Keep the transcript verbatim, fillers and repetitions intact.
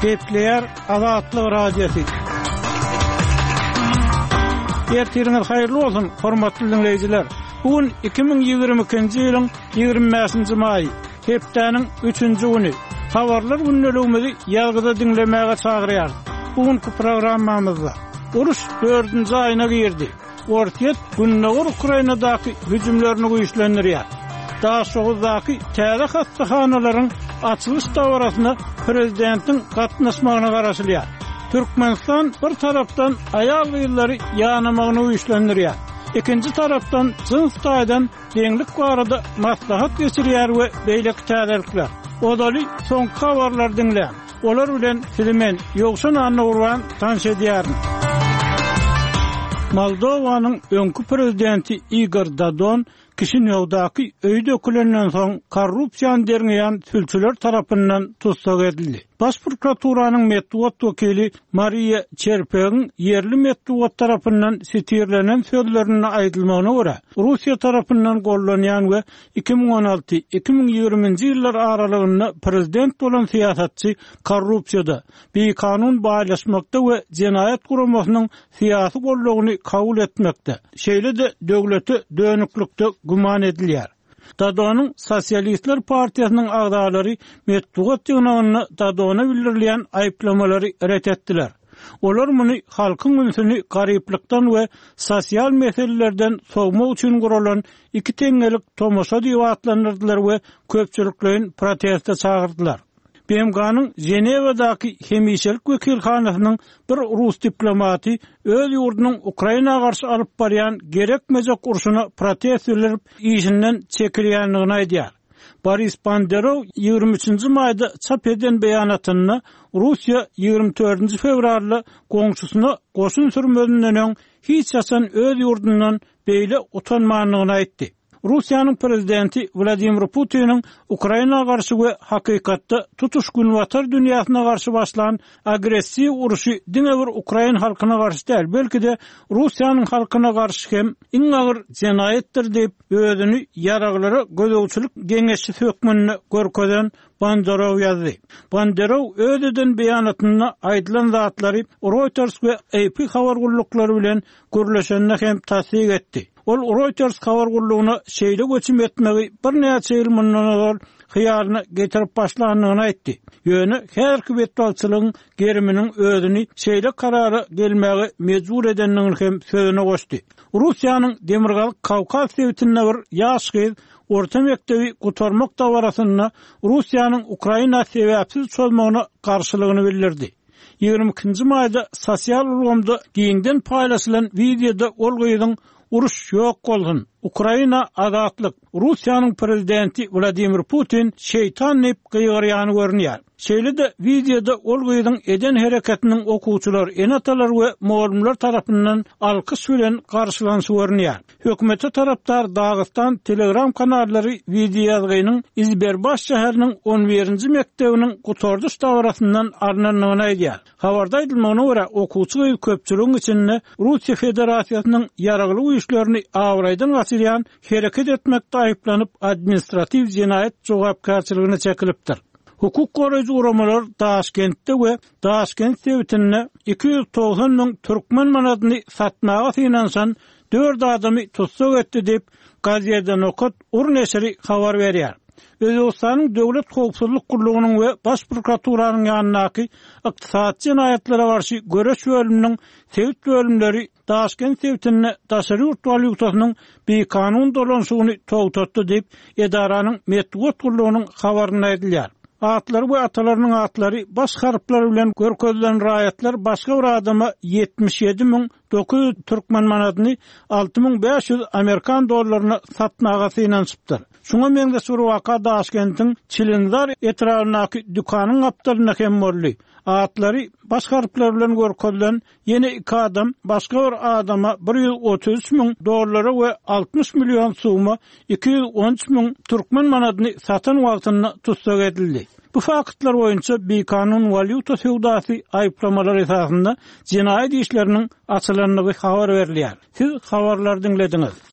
Gepleýär Azatlyk Radiosy. Ertiriňiz haýyrly bolsun, hormatly diňleýjiler. Bu gün iki müň ýigrimi ikinji ýylyň ýigrimi bäşinji maýy, hepdäniň üçünji güni. Habarlar gündeligimizi ýazgyda diňlemäge çagyrýarys. Bu günki programmamyzda uruş dördünji aýyna girdi. Orsýet Gündogar Ukrainadaky hüjümlerini güýçlendirýär. Daşoguzdaky täze hassahanalaryň açylyş dabarasyna prezidentiň gatnaşmagyna garaşylýar. Türkmenistan bir tarapdan aýal-gyzlary ýanamagyny güýçlendirýär. Ikinji tarapdan jyns taýdan deňlik barada maslahat geçirýär we beýleki täzelikler. Ozaly soňky habarlary diňläň. Olar bilen sizi men Ýowşan Annagurban tanyş edýärin. Moldowanyň öňki prezidenti Igor Dodon Kişinýowdaky öýi dökülenden soň korrupsiýany derňeýän sülçüler tarapyndan tussag edildi. Baş prokuraturanyň metbugat wekili Mariýa Çerpegiň ýerli metbugat tarapyndan sitirlenen sözlerinde aýdylmagyna görä, Russiýa tarapyndan gollanýan we iki müň on alty, iki müň ýigriminji ýyllar aralygynda prezident bolan syýasatçy korrupsiýada, bikanun baýlaşmakda we jenaýat guramasynyň syýasy goldawyny kabul etmekde, şeýle-de döwlete dönüklikde güman edilýär. Dodonyň Sosialistler partiýasynyň agzalary metbugat ýygnagynda Dodona bildirilýän aýyplamalary ret etdiler. Olar muny halkyň ünsüni garyplykdan we sosial meselelerden sowmak üçin guralan iki teňňelik tomaşa diýip atlandyrdylar we köpçülikleýin proteste çagyrdylar. B M G-nyň Ženewadaky hemişelik wekilhanasynyň bir rus diplomaty öz ýurdunyň Ukraina garşy alyp barýan gerekmejek urşuna protest bildirip işinden çekilýändigini aýdýar. Boris Bondarew ýigrimi üçünji maýda çap eden beýanatynda Russiýa ýigrimi dördünji fewralda goňşusyna goşun sürmezinden öň hiç haçan öz ýurdundan beýle utanmandygyny aýtdy. Russiýanyň prezidenti Wladimir Putiniň Ukraina garşy we hakykatda tutuş günbatar dünýäsine garşy başlan agressiw uruşy diňe bir Ukraina halkyna garşy däl, belki-de Russiýanyň halkyna garşy hem iň agyr jenaýatdyr diýip, özüni ýaraglara gözegçilik geňeşçisi hökmünde görkezen Bondarew ýazdy. Bondarew öz eden beýanatynda aýdylan zatlary Reuters we A P habar gulluklary bilen gürleşende hem tassyk etdi. Ol Reuters habar gullugyna şeýle göçüm etmegi birnäçe ýyl mundan ozal hyýalyna getirip başlandygyny aýtdy. Ýöne her betbagtçylygyň geriminiň özüni şeýle karara gelmäge mejbur edendigini hem sözüne goşdy. Russiýanyň Demirgazyk Kawkaz sebitinde bir ýaş gyz orta mekdebi gutarmak dabarasynda Russiýanyň Ukraina sebäpsiz çozmagyna garşylygyny bildirdi. Ýigrimi ikinji maýda sosial ulgamda giňden paýlaşylan wideoda ol gyzyň uruş ýok bolsun, Ukraina azatlyk, Russiýanyň prezidenti Wladimir Putin şeytan diýip gygyrýany görünýär. Şeýle-de wideoda ol gyzyň eden hereketiniň okuwçylar, ene-atalar we mugallymlar tarapyndan alkyş bilen garşylanyşy görünýär. Hökümete tarapdar Dagystan Telegram kanallary wideo ýazgynyň Izberbaş şäheriniň on birinji mekdebiniň gutardyş dabarasyndan alnandygyny aýdýar. Habarda aýdylmagyna görä, okuwçy gyz köpçüligiň içinde Russiýa Federasiýasynyň ýaragly güýçlerini abraýdan gaçyrýan hereket etmekde aýyplanyp administratiw jenaýat jogapkärçiligine çekilipdir. Hukuk goraýjy guramalar Daşkentde we Daşkent sebitinde iki ýüz togsan müň türkmen manadyny satmaga synanyşan dört adamy tussag etdi diýip Gazeta Nokat Ur neşiri habar berýär. Özbekistanyň Döwlet Howpsuzlyk Gullugynyň we Baş prokuraturanyň ýanyndaky ykdysady jenaýatlara garşy göreş bölüminiň sebit bölümleri Daşkent sebitinde daşary ýurt walýutasynyň bikanun dolanşygyny togtatdy diýip edaranyň metbugat gullugynyň habarynda aýdylýar. Atlary we atalarynyň atlary baş harplar bilen görkezilen raýatlar başga bir adama ýetmiş ýedi müň dokuz ýüz türkmen manadyny alty müň bäş ýüz amerikan dollaryna satmaga synanyşypdyr. Şuňa meňzeş bir waka Daşkentiň Çilinzar etrabyndaky dükanyň gapdalynda hem boldy. Atlary baş harplar bilen görkezilen ýene iki adam başga bir adama bir ýüz otuz üç müň dollara we altmyş million suma iki ýüz on üç müň türkmen manadyny satan wagtynda tussag edildi. Bu faktlar boýunça bikanun walýuta söwdasy aýyplamalar esasynda jenaýat işleriniň açylandygy habar berilýär. Siz habarlary diňlediňiz.